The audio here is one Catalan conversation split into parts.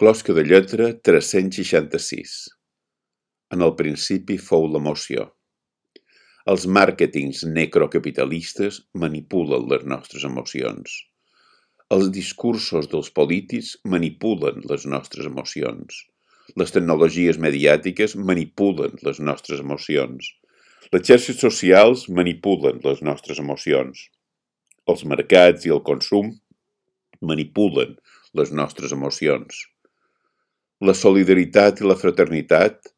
Closca de lletra 366. En el principi fou l'emoció. Els màrquetings necrocapitalistes manipulen les nostres emocions. Els discursos dels polítics manipulen les nostres emocions. Les tecnologies mediàtiques manipulen les nostres emocions. Les xarxes socials manipulen les nostres emocions. Els mercats i el consum manipulen les nostres emocions. La solidaritat i la fraternitat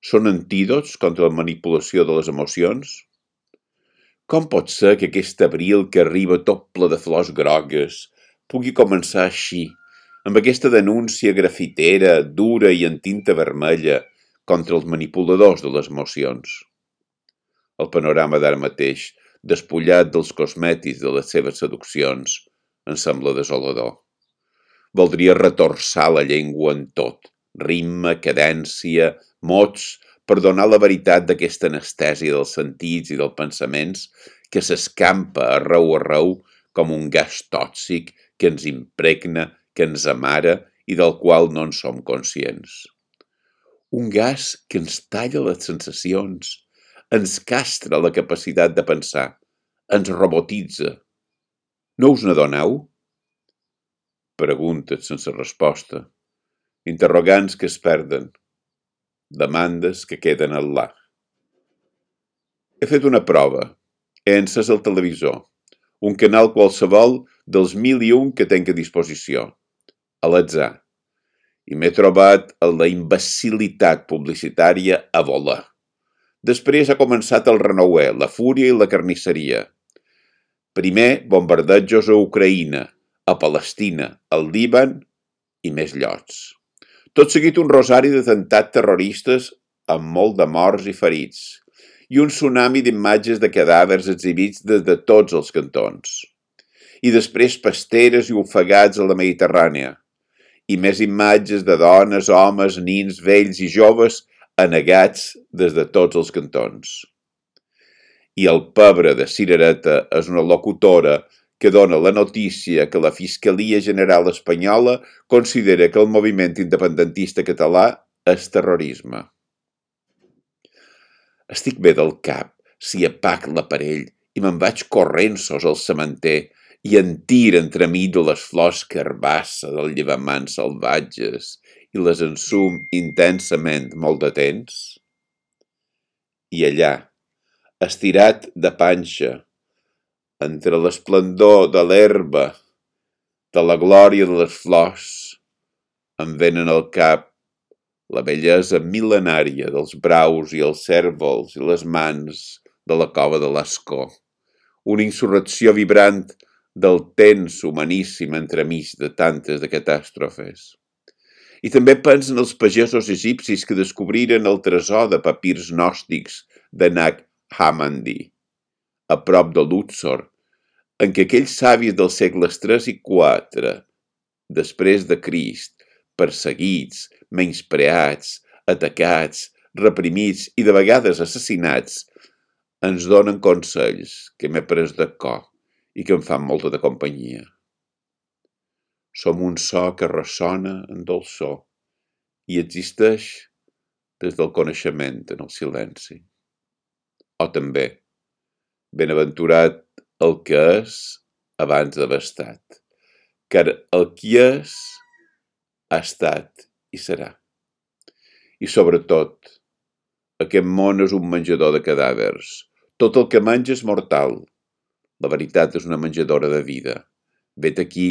són antídots contra la manipulació de les emocions? Com pot ser que aquest abril que arriba tot ple de flors grogues pugui començar així, amb aquesta denúncia grafitera, dura i en tinta vermella contra els manipuladors de les emocions? El panorama d'ara mateix, despullat dels cosmètics de les seves seduccions, em sembla desolador. Voldria retorçar la llengua en tot, ritme, cadència, mots, per donar la veritat d'aquesta anestèsia dels sentits i dels pensaments que s'escampa arreu com un gas tòxic que ens impregna, que ens amara i del qual no en som conscients. Un gas que ens talla les sensacions, ens castra la capacitat de pensar, ens robotitza. No us n'adoneu? Preguntes sense resposta, interrogants que es perden, demandes que queden al là. He fet una prova. He encès el televisor, un canal qualsevol dels 1001 que tenc a disposició, a l'atzar, i m'he trobat amb la imbecilitat publicitària a volar. Després ha començat el renouer, la fúria i la carnisseria. Primer, bombardejos a Ucraïna, a Palestina, al Líban i més llocs. Tot seguit un rosari d'atemptats terroristes amb molt de morts i ferits i un tsunami d'imatges de cadàvers exhibits des de tots els cantons. I després pasteres i ofegats a la Mediterrània i més imatges de dones, homes, nins, vells i joves anegats des de tots els cantons. I el pebre de cirereta és una locutora que dona la notícia que la Fiscalia General Espanyola considera que el moviment independentista català és terrorisme. Estic bé del cap si apac l'aparell i me'n vaig corrents al cementer i en tir entremig de les flors carbassa del llevamant salvatges i les ensum intensament molt de temps? I allà, estirat de panxa, entre l'esplendor de l'herba, de la glòria de les flors, em venen al cap la bellesa mil·lenària dels braus i els cèrvols i les mans de la cova de Lascaux, una insurrecció vibrant del temps humaníssim entremig de tantes de catàstrofes. I també penso en els pagesos egipcis que descobriren el tresor de papirs gnòstics de Nag Hammadi, a prop de Luxor, en què aquells savis dels segles III i IV, després de Crist, perseguits, menyspreats, atacats, reprimits i de vegades assassinats, ens donen consells que m'he pres de cor i que em fan molta de companyia. Som un so que ressona en dolçor i existeix des del coneixement en el silenci. O també, benaventurat el que és abans d'haver estat, car el qui és ha estat i serà. I sobretot, aquest món és un menjador de cadàvers. Tot el que menja és mortal. La veritat és una menjadora de vida. Vet aquí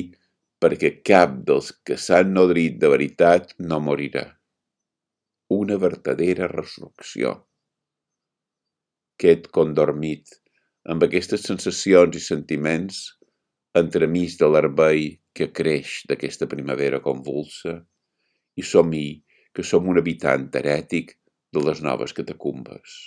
perquè cap dels que s'han nodrit de veritat no morirà. Una vertadera resurrecció. Qued condormit amb aquestes sensacions i sentiments entremig de l'herbei que creix d'aquesta primavera convulsa i somni que som un habitant herètic de les noves catacumbes.